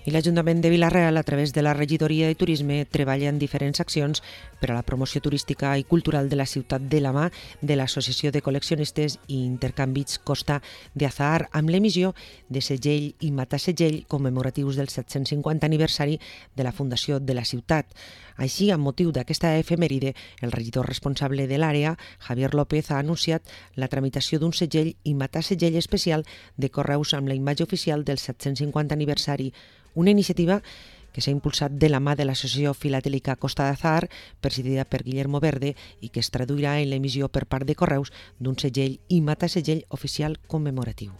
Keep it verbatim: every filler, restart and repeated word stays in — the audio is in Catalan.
I l'Ajuntament de Vila-real, a través de la Regidoria de Turisme, treballa en diferents accions per a la promoció turística i cultural de la ciutat de la mà de l'Associació de Col·leccionistes i Intercanvis Costa de Azahar, amb l'emissió de segell i matasegell commemoratius del set-cents cinquanta aniversari de la fundació de la ciutat. Així, amb motiu d'aquesta efemèride, el regidor responsable de l'àrea, Javier López, ha anunciat la tramitació d'un segell i matasegell especial de correus amb la imatge oficial del set-cents cinquanta aniversari, una iniciativa que s'ha impulsat de la mà de l'Associació Filatèlica Costa d'Azahar, presidida per Guillermo Verde, i que es traduirà en l'emissió per part de Correus d'un segell i matasegell oficial commemoratiu.